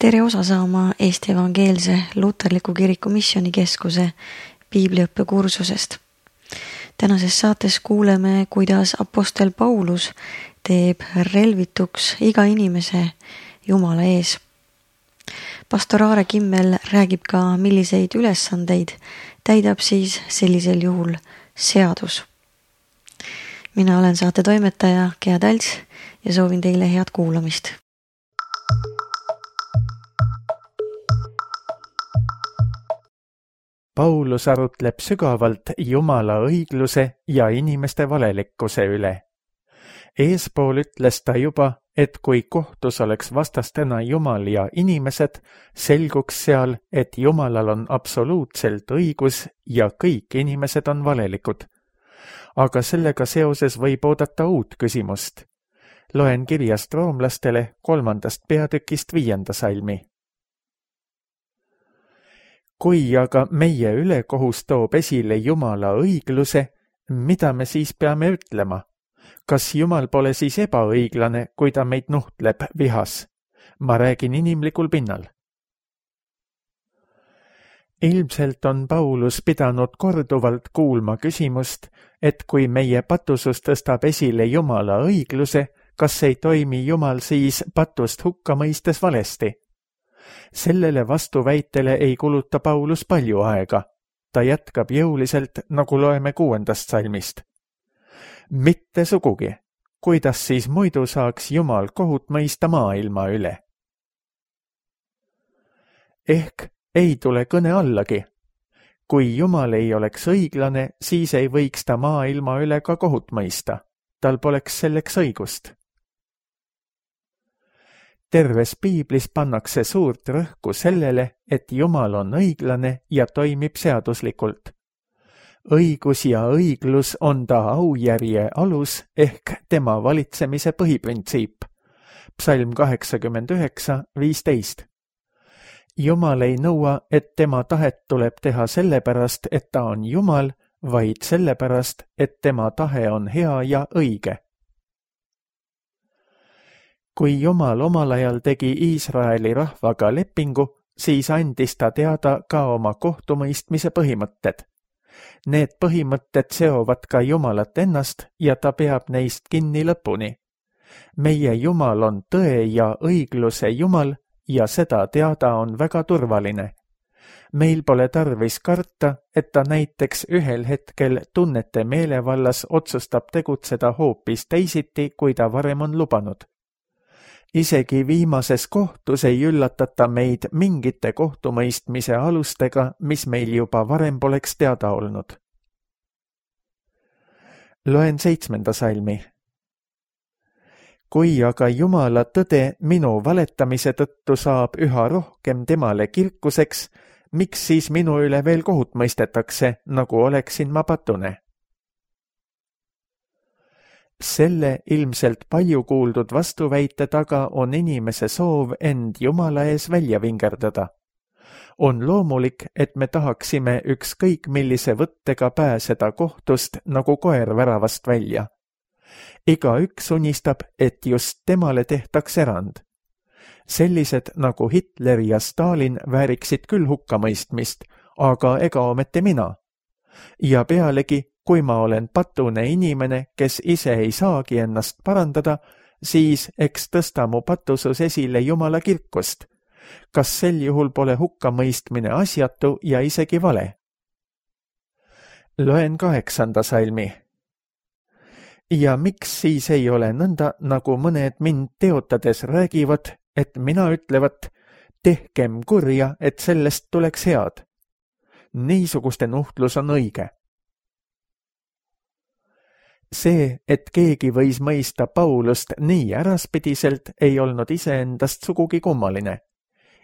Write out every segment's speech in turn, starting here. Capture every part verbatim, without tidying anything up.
Tere osa saama Eesti Evangeelse Luterliku Kiriku Missioonikeskuse piibliõppe kursusest. Tänases saates kuuleme, kuidas apostel Paulus teeb relvituks iga inimese Jumala ees. Pastor Aare Kimmel räägib ka, milliseid ülesandeid täidab siis sellisel juhul seadus. Mina olen saate toimetaja Gea Talts ja soovin teile head kuulamist. Paulus arutleb sügavalt Jumala õigluse ja inimeste valelikkuse üle. Eespool ütles ta juba, et kui kohtus oleks vastastena Jumal ja inimesed, selguks seal, et Jumalal on absoluutselt õigus ja kõik inimesed on valelikud. Aga sellega seoses võib oodata uut küsimust. Loen kirjast roomlastele kolmandast peatükist viienda salmi. Kui aga meie ülekohus toob esile Jumala õigluse, mida me siis peame ütlema? Kas Jumal pole siis ebaõiglane, kui ta meid nuhtleb vihas? Ma räägin inimlikul pinnal. Ilmselt on Paulus pidanud korduvalt kuulma küsimust, et kui meie patusus tõstab esile Jumala õigluse, kas ei toimi Jumal siis patust hukka mõistes valesti? Sellele vastuväitele ei kuluta Paulus palju aega. Ta jätkab jõuliselt, nagu loeme kuuendast salmist. Mitte sugugi. Kuidas siis muidu saaks Jumal kohut mõista maailma üle? Ehk ei tule kõne allagi. Kui Jumal ei oleks õiglane, siis ei võiks ta maailma üle ka kohut mõista. Tal poleks selleks õigust. Terves piiblis pannakse suurt rõhku sellele, et Jumal on õiglane ja toimib seaduslikult. Õigus ja õiglus on ta aujärje alus ehk tema valitsemise põhiprintsiip. Psalm kaheksakümmend üheksa viisteist. Jumal ei nõua, et tema tahet tuleb teha sellepärast, et ta on Jumal, vaid sellepärast, et tema tahe on hea ja õige. Kui Jumal omal ajal tegi Iisraeli rahvaga lepingu, siis andis ta teada ka oma kohtumõistmise põhimõtted. Need põhimõtted seovad ka Jumalat ennast ja ta peab neist kinni lõpuni. Meie Jumal on tõe ja õigluse Jumal ja seda teada on väga turvaline. Meil pole tarvis karta, et ta näiteks ühel hetkel tunnete meelevallas otsustab tegutseda hoopis teisiti, kui ta varem on lubanud. Isegi viimases kohtus ei üllatata meid mingite kohtumõistmise alustega, mis meil juba varem poleks teada olnud. Loen seitsmenda salmi. Kui aga Jumala tõde minu valetamise tõttu saab üha rohkem temale kirkuseks, miks siis minu üle veel kohut mõistetakse, nagu oleksin ma patune? Selle ilmselt palju kuuldud vastuväite taga on inimese soov end Jumala ees välja vingerdada. On loomulik, et me tahaksime ükskõik millise võttega pääseda kohtust nagu koer väravast välja. Iga üks unistab, et just temale tehtaks erand. Sellised nagu Hitler ja Stalin vääriksid küll hukkamõistmist, aga ega ometi mina. Ja pealegi, kui ma olen patune inimene, kes ise ei saagi ennast parandada, siis eks tõsta mu patusus esile Jumala kirkust. Kas sel juhul pole hukkamõistmine asjatu ja isegi vale? Loen kaheksanda salmi. Ja miks siis ei ole nõnda, nagu mõned mind teotades räägivad, et mina ütlevat, tehkem kurja, et sellest tuleks head. Niisuguste nuhtlus on õige. See, et keegi võis mõista Paulust nii äraspidiselt, ei olnud iseendast sugugi kummaline.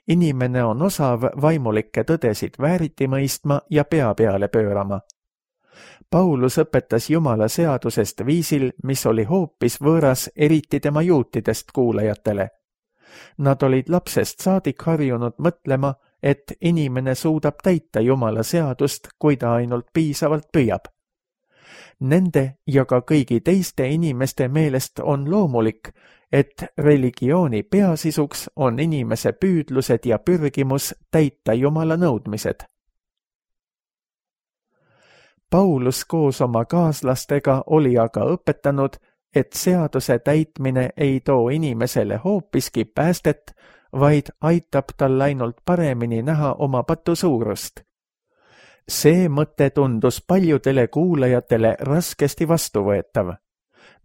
Inimene on osav vaimulikke tõdesid vääriti mõistma ja pea peale pöörama. Paulus õpetas Jumala seadusest viisil, mis oli hoopis võõras eriti tema juutidest kuulajatele. Nad olid lapsest saadik harjunud mõtlema, et inimene suudab täita Jumala seadust, kui ta ainult piisavalt püüab. Nende ja ka kõigi teiste inimeste meelest on loomulik, et religiooni peasisuks on inimese püüdlused ja pürgimus täita Jumala nõudmised. Paulus koos oma kaaslastega oli aga õpetanud, et seaduse täitmine ei too inimesele hoopiski päästet, vaid aitab tal ainult paremini näha oma patu suurust. See mõte tundus paljudele kuulajatele raskesti vastuvõetav.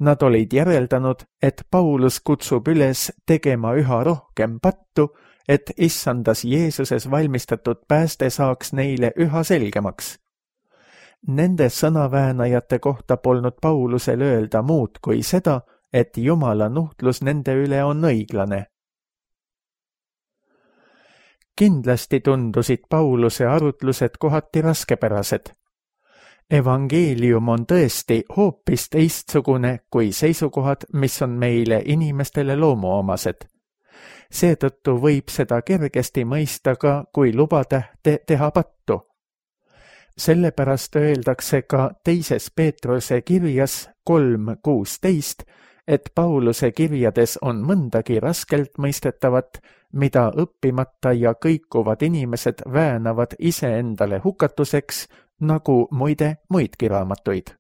Nad olid järeldanud, et Paulus kutsub üles tegema üha rohkem pattu, et issandas Jeesuses valmistatud pääste saaks neile üha selgemaks. Nende sõnaväänajate kohta polnud Paulusel öelda muud kui seda, et Jumala nuhtlus nende üle on õiglane. Kindlasti tundusid Pauluse arutlused kohati raskepärased. Evangeelium on tõesti hoopis teistsugune kui seisukohad, mis on meile inimestele loomuomased. Seetõttu võib seda kergesti mõista ka, kui lubatähte teha pattu. Sellepärast öeldakse ka teises Peetruse kirjas kolm kuusteist, et Pauluse kirjades on mõndagi raskelt mõistetavat, mida õppimata ja kõikuvad inimesed väänavad iseendale hukatuseks, nagu muide muidki raamatuid.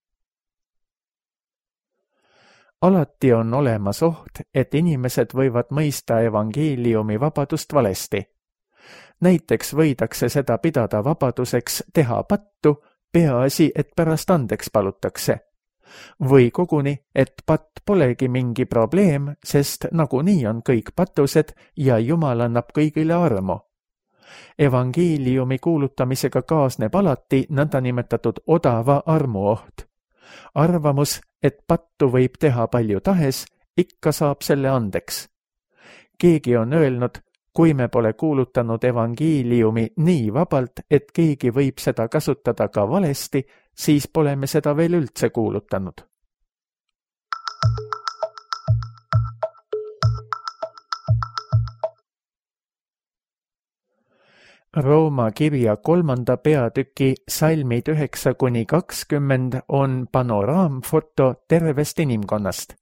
Alati on olemas oht, et inimesed võivad mõista evangeeliumi vabadust valesti. Näiteks võidakse seda pidada vabaduseks teha pattu, peaasi, et pärast andeks palutakse. Või koguni, et patt polegi mingi probleem, sest nagunii on kõik patused ja Jumal annab kõigile armu. Evangeeliumi kuulutamisega kaasneb alati nõndanimetatud odava armuoht. Arvamus, et pattu võib teha palju tahes, ikka saab selle andeks. Keegi on öelnud, kui me pole kuulutanud evangeeliumi nii vabalt, et keegi võib seda kasutada ka valesti, siis pole me seda veel üldse kuulutanud. Rooma kirja kolmanda peatüki salmid üheksa kuni kakskümmend on panoraamfoto tervest inimkonnast.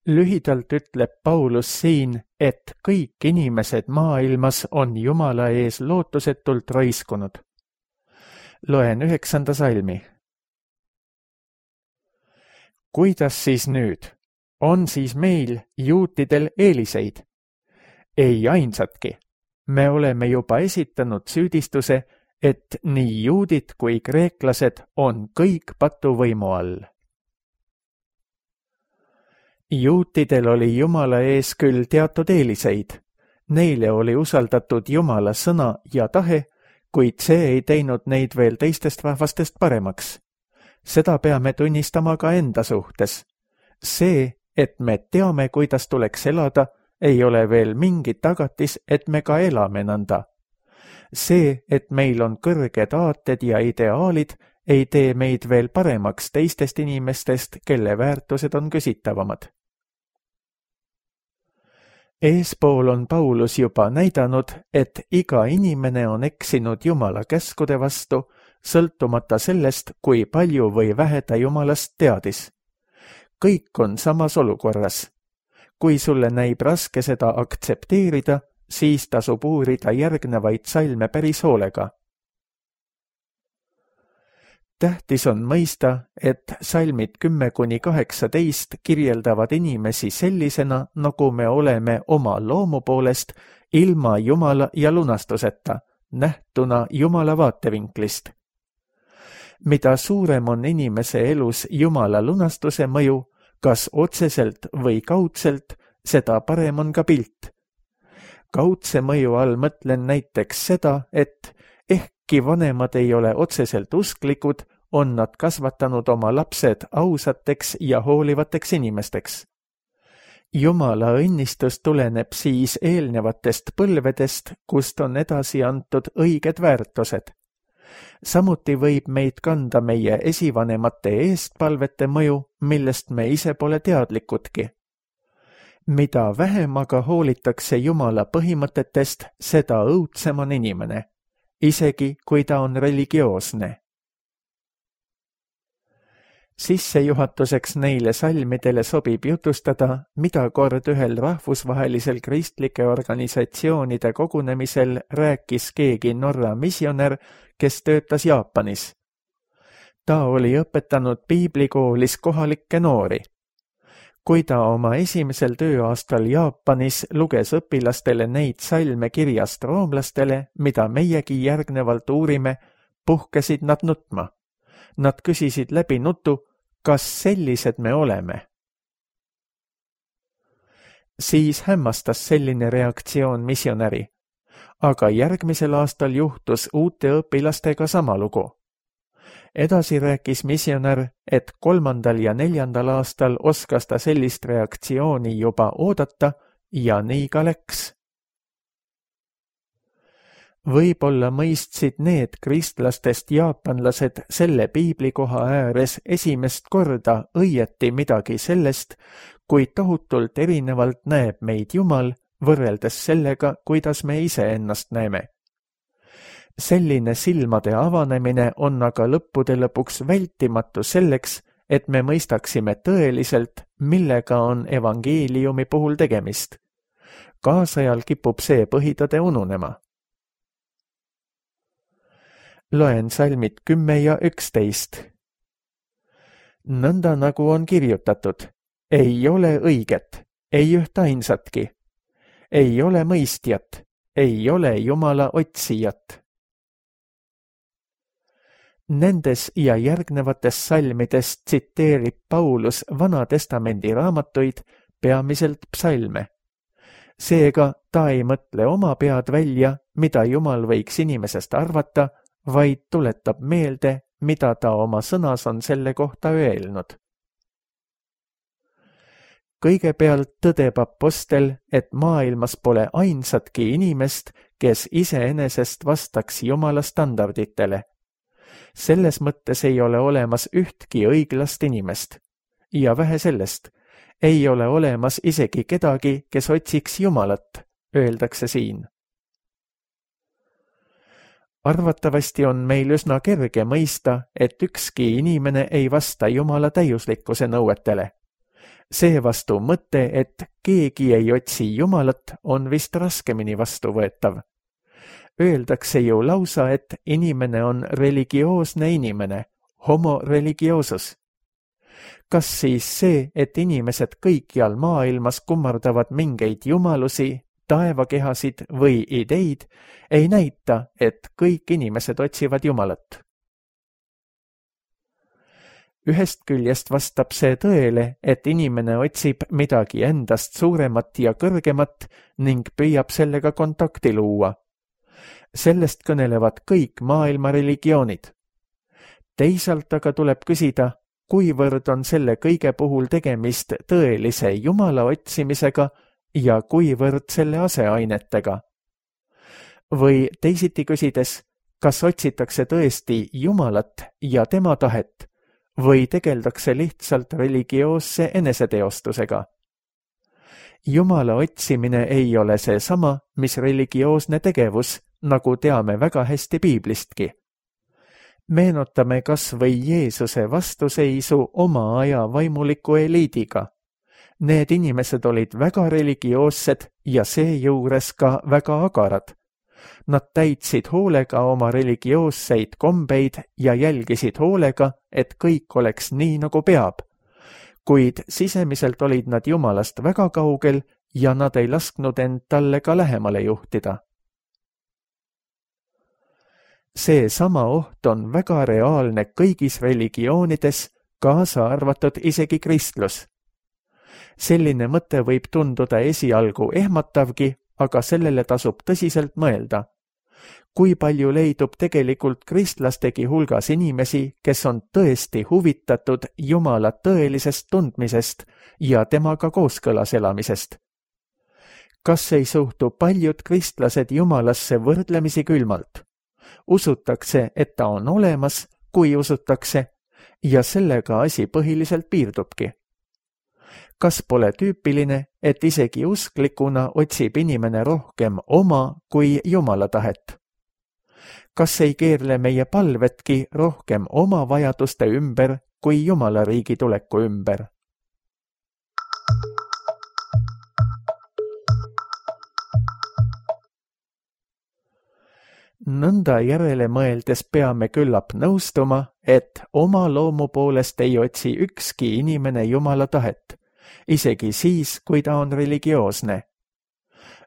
Lühidalt ütleb Paulus siin, et kõik inimesed maailmas on Jumala ees lootusetult raiskunud. Loen üheksanda salmi. Kuidas siis nüüd? On siis meil, juutidel, eeliseid? Ei ainsatki. Me oleme juba esitanud süüdistuse, et nii juudid kui kreeklased on kõik patuvõimu all. Juutidel oli Jumala ees küll teatud eeliseid. Neile oli usaldatud Jumala sõna ja tahe, kuid see ei teinud neid veel teistest rahvastest paremaks. Seda peame tunnistama ka enda suhtes. See, et me teame, kuidas tuleks elada, ei ole veel mingit tagatis, et me ka elame nõnda. See, et meil on kõrged aated ja ideaalid, ei tee meid veel paremaks teistest inimestest, kelle väärtused on küsitavamad. Eespool on Paulus juba näidanud, et iga inimene on eksinud Jumala käskude vastu, sõltumata sellest, kui palju või vähe ta Jumalast teadis. Kõik on samas olukorras. Kui sulle näib raske seda aktsepteerida, siis tasub uurida järgnevaid salme päris hoolega. Tähtis on mõista, et salmid kümme kuni kaheksateist kirjeldavad inimesi sellisena, nagu me oleme oma loomu poolest, ilma Jumala ja lunastuseta, nähtuna Jumala vaatevinklist. Mida suurem on inimese elus Jumala lunastuse mõju, kas otseselt või kaudselt, seda parem on ka pilt. Kaudse mõju all mõtlen näiteks seda, et ehkki vanemad ei ole otseselt usklikud, on nad kasvatanud oma lapsed ausateks ja hoolivateks inimesteks. Jumala õnnistus tuleneb siis eelnevatest põlvedest, kust on edasi antud õiged väärtused. Samuti võib meid kanda meie esivanemate eestpalvete mõju, millest me ise pole teadlikudki. Mida vähem aga hoolitakse Jumala põhimõtetest, seda õudsem on inimene, isegi kui ta on religioosne. Sissejuhatuseks neile salmidele sobib jutustada, mida kord ühel rahvusvahelisel kristlike organisatsioonide kogunemisel rääkis keegi Norra misjonär, kes töötas Jaapanis. Ta oli õpetanud piiblikoolis kohalikke noori. Kui ta oma esimesel tööaastal Jaapanis luges õpilastele neid salme kirjast roomlastele, mida meiegi järgnevalt uurime, puhkesid nad nutma. Nad küsisid läbi nutu, kas sellised me oleme? Siis hämmastas selline reaktsioon misjonäri. Aga järgmisel aastal juhtus uute õpilastega sama lugu. Edasi rääkis misjonär, et kolmandal ja neljandal aastal oskas ta sellist reaktsiooni juba oodata ja nii ka läks. Võib-olla mõistsid need kristlastest jaapanlased selle piiblikoha ääres esimest korda õieti midagi sellest, kui tohutult erinevalt näeb meid Jumal võrreldes sellega, kuidas me ise ennast näeme. Selline silmade avanemine on aga lõppude lõpuks vältimatu selleks, et me mõistaksime tõeliselt, millega on evangeeliumi puhul tegemist. Kaasajal kipub see põhitõde ununema. Loen salmid kümme ja üksteist. Nõnda nagu on kirjutatud, ei ole õiget, ei üht ainsatki, ei ole mõistjat, ei ole Jumala otsijat. Nendes ja järgnevates salmides tsiteerib Paulus Vana-testamendi raamatuid, peamiselt psalme. Seega ta ei mõtle oma pead välja, mida Jumal võiks inimesest arvata, vaid tuletab meelde, mida ta oma sõnas on selle kohta öelnud. Kõigepealt tõdeb apostel, et maailmas pole ainsatki inimest, kes iseenesest vastaks Jumala standarditele. Selles mõttes ei ole olemas ühtki õiglast inimest. Ja vähe sellest, ei ole olemas isegi kedagi, kes otsiks Jumalat, öeldakse siin. Arvatavasti on meil üsna kerge mõista, et ükski inimene ei vasta Jumala täiuslikkuse nõuetele. Seevastu mõte, et keegi ei otsi Jumalat, on vist raskemini vastuvõetav. Öeldakse ju lausa, et inimene on religioosne inimene, homo religiosus. Kas siis see, et inimesed kõikjal maailmas kummardavad mingeid jumalusi, taevakehasid või ideid, ei näita, et kõik inimesed otsivad Jumalat. Ühest küljest vastab see tõele, et inimene otsib midagi endast suuremat ja kõrgemat ning püüab sellega kontakti luua. Sellest kõnelevad kõik maailma religioonid. Teisalt aga tuleb küsida, kuivõrd on selle kõige puhul tegemist tõelise Jumala otsimisega ja kuivõrd selle aseainetega. Või teisiti küsides, kas otsitakse tõesti Jumalat ja tema tahet või tegeldakse lihtsalt religioosse eneseteostusega. Jumala otsimine ei ole see sama, mis religioosne tegevus, nagu teame väga hästi piiblistki. Meenutame kas või Jeesuse vastuseisu oma aja vaimuliku eliidiga. Need inimesed olid väga religioossed ja seejuures ka väga agarad. Nad täitsid hoolega oma religioosseid kombeid ja jälgisid hoolega, et kõik oleks nii, nagu peab. Kuid sisemiselt olid nad Jumalast väga kaugel ja nad ei lasknud end talle ka lähemale juhtida. See sama oht on väga reaalne kõigis religioonides, kaasa arvatud isegi kristlus. Selline mõte võib tunduda esialgu ehmatavgi, aga sellele tasub tõsiselt mõelda. Kui palju leidub tegelikult kristlastegi hulgas inimesi, kes on tõesti huvitatud Jumala tõelisest tundmisest ja temaga kooskõlas elamisest? Kas ei suhtu paljud kristlased Jumalasse võrdlemisi külmalt? Usutakse, et ta on olemas, kui usutakse, ja sellega asi põhiliselt piirdubki. Kas pole tüüpiline, et isegi usklikuna otsib inimene rohkem oma kui Jumala tahet? Kas ei keerle meie palvetki rohkem oma vajaduste ümber kui Jumala riigi tuleku ümber. Nõnda järele mõeldes peame küllap nõustuma, et oma loomu poolest ei otsi ükski inimene Jumala tahet, isegi siis, kui ta on religioosne.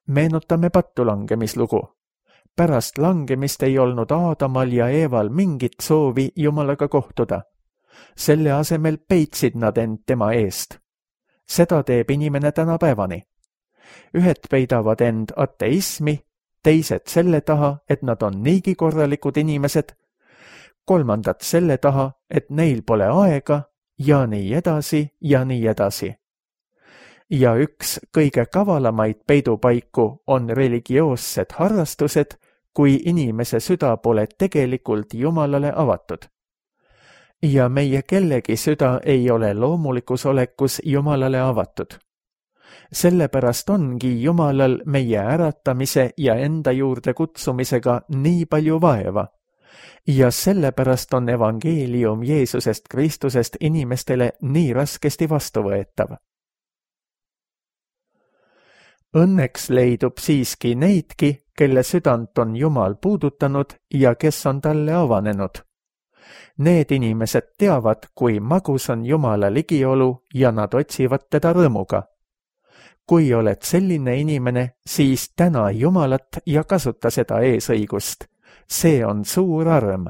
Meenutame pattu langemislugu. Pärast langemist ei olnud Aadamal ja Eeval mingit soovi Jumalaga kohtuda. Selle asemel peitsid nad end tema eest. Seda teeb inimene tänapäevani. Ühed peidavad end ateismi, teised selle taha, et nad on niigi korralikud inimesed, kolmandad selle taha, et neil pole aega ja nii edasi ja nii edasi. Ja üks kõige kavalamaid peidupaiku on religioossed harrastused, kui inimese süda pole tegelikult Jumalale avatud. Ja meie kellegi süda ei ole loomulikus olekus Jumalale avatud. Sellepärast ongi Jumalal meie äratamise ja enda juurde kutsumisega nii palju vaeva. Ja sellepärast on evangeelium Jeesusest Kristusest inimestele nii raskesti vastuvõetav. Õnneks leidub siiski neidki, kelle südant on Jumal puudutanud ja kes on talle avanenud. Need inimesed teavad, kui magus on Jumala ligiolu ja nad otsivad teda rõõmuga. Kui oled selline inimene, siis täna Jumalat ja kasuta seda eesõigust. See on suur arm.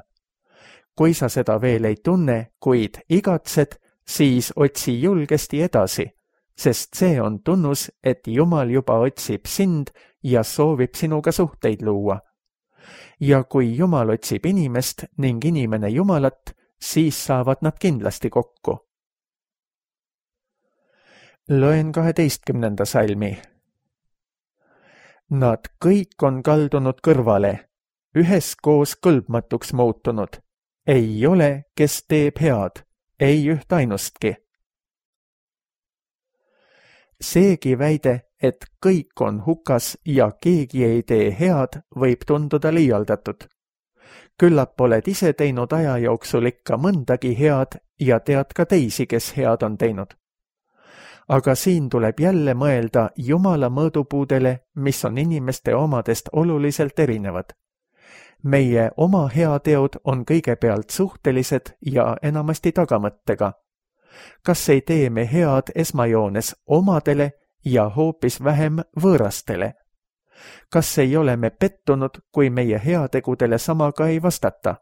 Kui sa seda veel ei tunne, kuid igatsed, siis otsi julgesti edasi, sest see on tunnus, et Jumal juba otsib sind ja soovib sinuga suhteid luua. Ja kui Jumal otsib inimest ning inimene Jumalat, siis saavad nad kindlasti kokku. Loen kaheteistkümnenda salmi. Nad kõik on kaldunud kõrvale, üheskoos kõlbmatuks muutunud. Ei ole, kes teeb head, ei üht ainustki. Seegi väide, et kõik on hukas ja keegi ei tee head, võib tunduda liialdatud. Küllap oled ise teinud aja jooksul ikka mõndagi head ja tead ka teisi, kes head on teinud. Aga siin tuleb jälle mõelda Jumala mõõdupuudele, mis on inimeste omadest oluliselt erinevad. Meie oma heateod on kõigepealt suhtelised ja enamasti tagamõttega. Kas ei tee me head esmajoones omadele ja hoopis vähem võõrastele? Kas ei ole me pettunud, kui meie heategudele samaga ei vastata?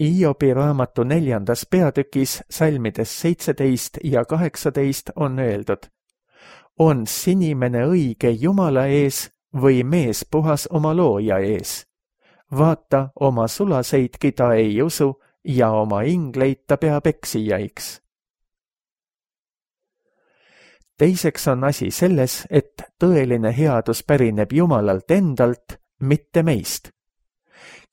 Iobi raamatu neljandas peatükis salmides seitseteist ja kaheksateist on öeldud: On sinimene õige Jumala ees või mees puhas oma looja ees? Vaata, oma sulaseidki ta ei usu ja oma ingleid ta peab eksijaiks. Teiseks on asi selles, et tõeline headus pärineb Jumalalt endalt, mitte meist.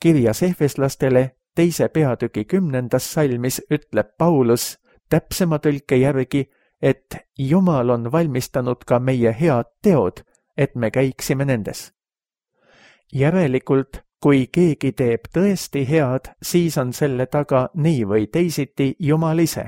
Kirjas Efeslastele teise peatüki kümnendas salmis ütleb Paulus täpsema tõlke järgi, et Jumal on valmistanud ka meie head teod, et me käiksime nendes. Järelikult, kui keegi teeb tõesti head, siis on selle taga nii või teisiti Jumal ise.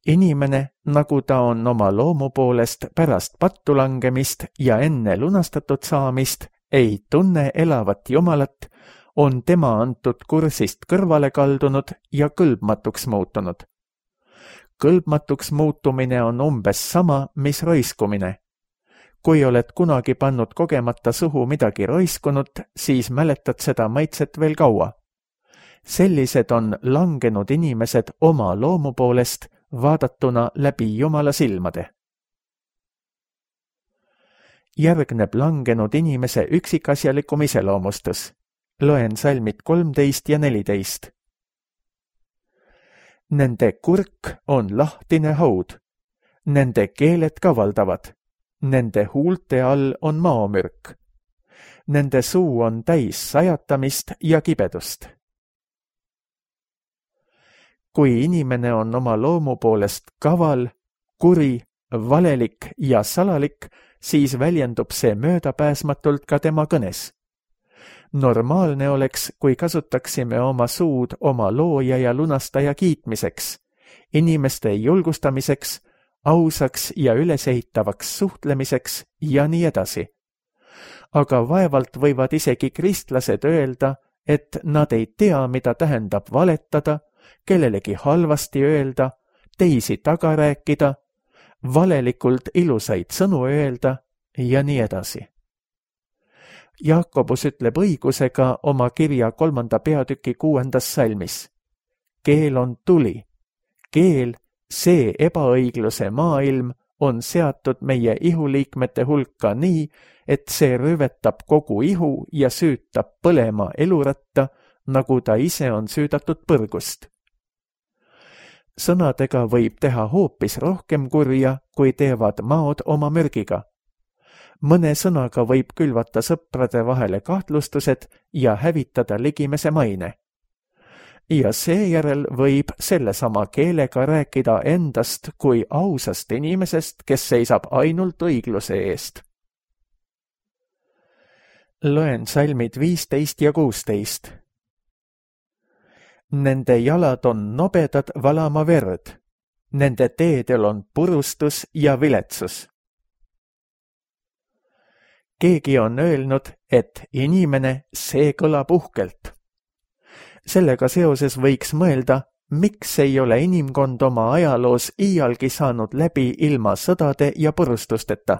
Inimene, nagu ta on oma loomu poolest pärast pattu langemist ja enne lunastatud saamist, ei tunne elavat Jumalat, on tema antud kursist kõrvale kaldunud ja kõlbmatuks muutunud. Kõlbmatuks muutumine on umbes sama, mis roiskumine. Kui oled kunagi pannud kogemata suhu midagi roiskunud, siis mäletad seda maitset veel kaua. Sellised on langenud inimesed oma loomu poolest, vaadatuna läbi Jumala silmade. Järgneb langenud inimese üksikasjalikum iseloomustus. Loen salmid kolmteist ja neliteist. Nende kurk on lahtine haud. Nende keeled kavaldavad. Nende huulte all on maomürk. Nende suu on täis sajatamist ja kibedust. Kui inimene on oma loomu poolest kaval, kuri, valelik ja salalik, siis väljendub see möödapääsmatult ka tema kõnes. Normaalne oleks, kui kasutaksime oma suud oma looja ja lunastaja kiitmiseks, inimeste julgustamiseks, ausaks ja ülesehitavaks suhtlemiseks ja nii edasi. Aga vaevalt võivad isegi kristlased öelda, et nad ei tea, mida tähendab valetada, kellelegi halvasti öelda, teisi taga rääkida, valelikult ilusaid sõnu öelda ja nii edasi. Jaakobus ütleb õigusega oma kirja kolmanda peatüki kuuendas salmis. Keel on tuli. Keel, see ebaõigluse maailm, on seatud meie ihuliikmete hulka nii, et see röövetab kogu ihu ja süütab põlema eluratta, nagu ta ise on süüdatud põrgust. Sõnadega võib teha hoopis rohkem kurja, kui teevad maod oma mürgiga. Mõne sõnaga võib külvata sõprade vahele kahtlustused ja hävitada ligimese maine. Ja seejärel võib sellesama keelega rääkida endast kui ausast inimesest, kes seisab ainult õigluse eest. Loen salmid viisteist ja kuusteist. Nende jalad on nobedad valama verd, nende teedel on purustus ja viletsus. Keegi on öelnud, et inimene, see kõlab uhkelt. Sellega seoses võiks mõelda, miks ei ole inimkond oma ajaloos iialgi saanud läbi ilma sõdade ja purustusteta.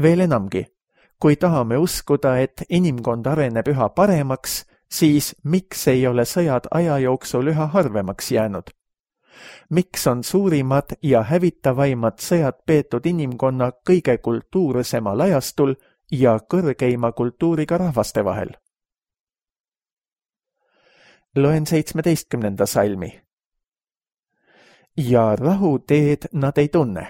Veel enamgi, kui tahame uskuda, et inimkond areneb üha paremaks, siis miks ei ole sõjad aja jooksul üha harvemaks jäänud? Miks on suurimad ja hävitavaimad sõjad peetud inimkonna kõige kultuursemal ajastul ja kõrgeima kultuuriga rahvaste vahel? Loen seitsmeteistkümnenda salmi. Ja rahu teed nad ei tunne.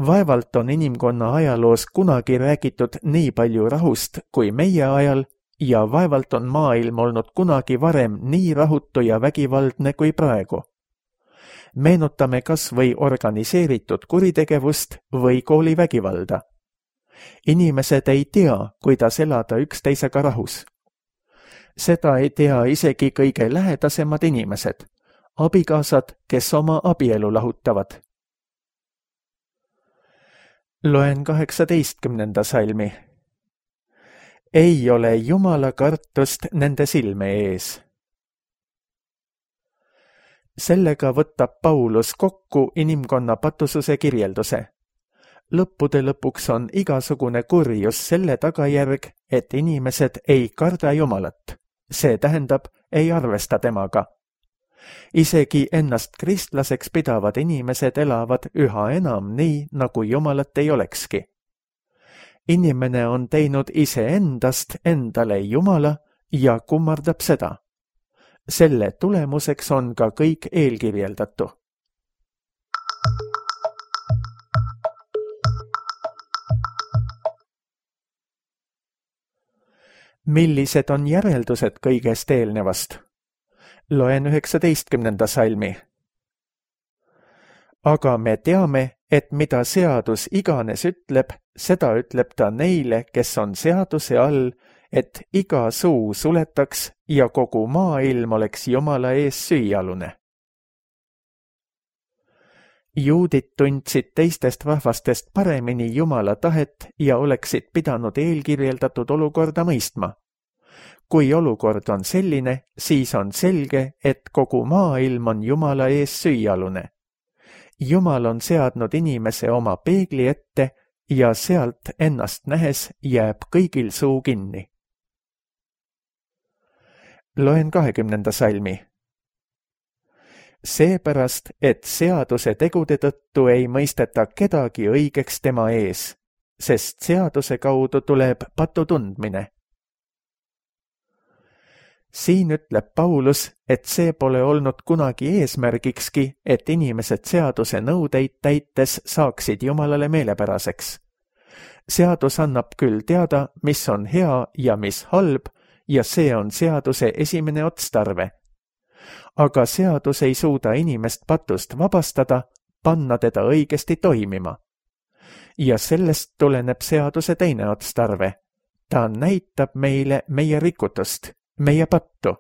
Vaevalt on inimkonna ajaloos kunagi räägitud nii palju rahust kui meie ajal, ja vaevalt on maailm olnud kunagi varem nii rahutu ja vägivaldne kui praegu. Meenutame kas või organiseeritud kuritegevust või koolivägivalda. Inimesed ei tea, kuidas elada üksteisega rahus. Seda ei tea isegi kõige lähedasemad inimesed, abikaasad, kes oma abielu lahutavad. Loen kaheksateistkümnenda salmi. Ei ole Jumala kartust nende silme ees. Sellega võtab Paulus kokku inimkonna patususe kirjelduse. Lõppude lõpuks on igasugune kurjus selle tagajärg, et inimesed ei karda Jumalat. See tähendab, ei arvesta temaga. Isegi ennast kristlaseks pidavad inimesed elavad üha enam nii, nagu Jumalat ei olekski. Inimene on teinud iseendast endale Jumala ja kummardab seda. Selle tulemuseks on ka kõik eelkirjeldatu. Millised on järeldused kõigest eelnevast? Loen üheksateistkümnenda salmi. Aga me teame, et mida seadus iganes ütleb, seda ütleb ta neile, kes on seaduse all, et iga suu suletaks ja kogu maailm oleks Jumala ees süüalune. Juudid tundsid teistest rahvastest paremini Jumala tahet ja oleksid pidanud eelkirjeldatud olukorda mõistma. Kui olukord on selline, siis on selge, et kogu maailm on Jumala ees süüalune. Jumal on seadnud inimese oma peegli ette ja sealt ennast nähes jääb kõigil suu kinni. Loen kahekümnenda salmi. Seepärast, et seaduse tegude tõttu ei mõisteta kedagi õigeks tema ees, sest seaduse kaudu tuleb patu tundmine. Siin ütleb Paulus, et see pole olnud kunagi eesmärgikski, et inimesed seaduse nõudeid täites saaksid Jumalale meelepäraseks. Seadus annab küll teada, mis on hea ja mis halb, ja see on seaduse esimene otstarve. Aga seadus ei suuda inimest patust vabastada, panna teda õigesti toimima. Ja sellest tuleneb seaduse teine otstarve, ta näitab meile meie rikutust, meie pattu.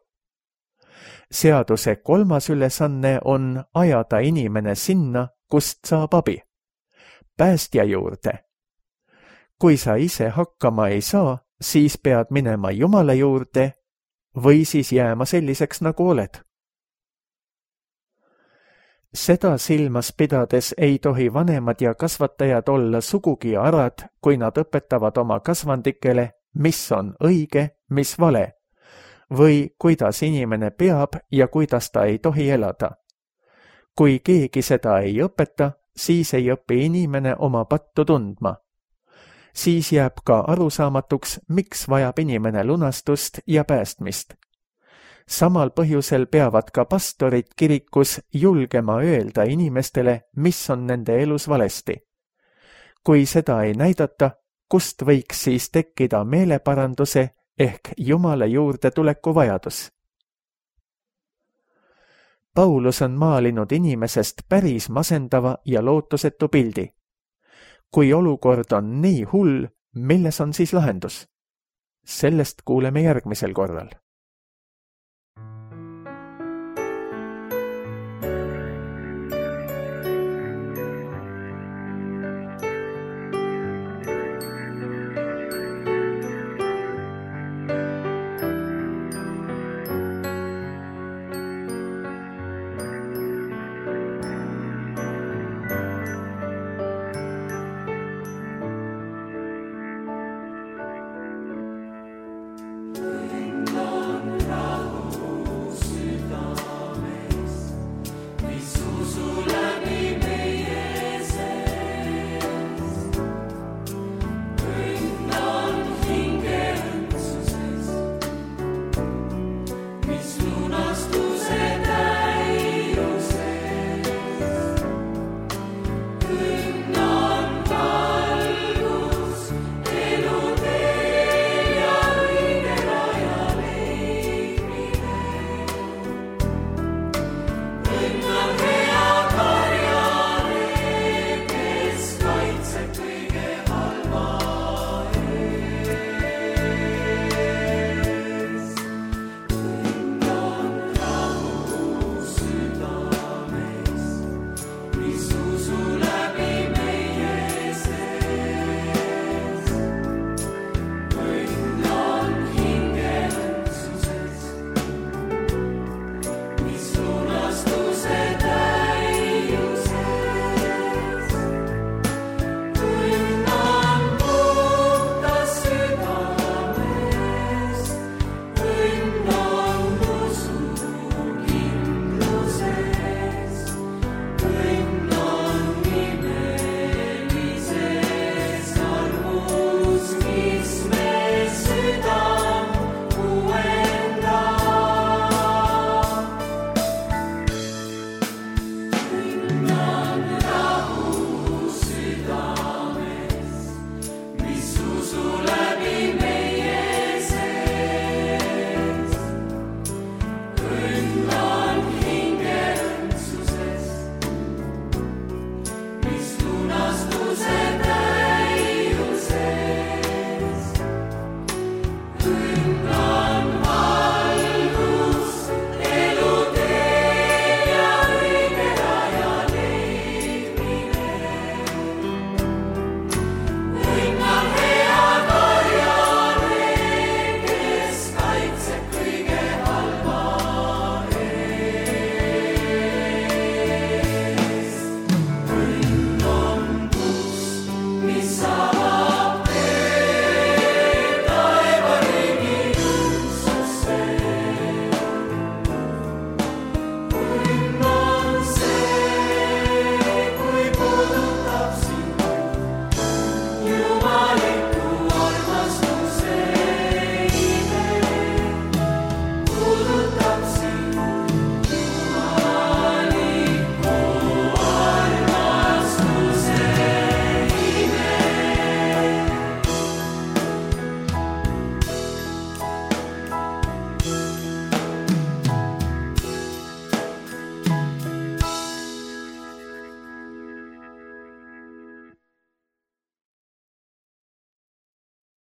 Seaduse kolmas ülesanne on ajada inimene sinna, kust saab abi, päästja juurde. Kui sa ise hakkama ei saa, siis pead minema Jumala juurde või siis jääma selliseks, nagu oled. Seda silmas pidades ei tohi vanemad ja kasvatajad olla sugugi arad, kui nad õpetavad oma kasvandikele, mis on õige, mis vale, või kuidas inimene peab ja kuidas ta ei tohi elada. Kui keegi seda ei õpeta, siis ei õpi inimene oma pattu tundma. Siis jääb ka arusaamatuks, miks vajab inimene lunastust ja päästmist. Samal põhjusel peavad ka pastorid kirikus julgema öelda inimestele, mis on nende elus valesti. Kui seda ei näidata, kust võiks siis tekkida meeleparanduse ehk Jumala juurde tuleku vajadus? Paulus on maalinud inimesest päris masendava ja lootusetu pildi. Kui olukord on nii hull, milles on siis lahendus? Sellest kuuleme järgmisel korral.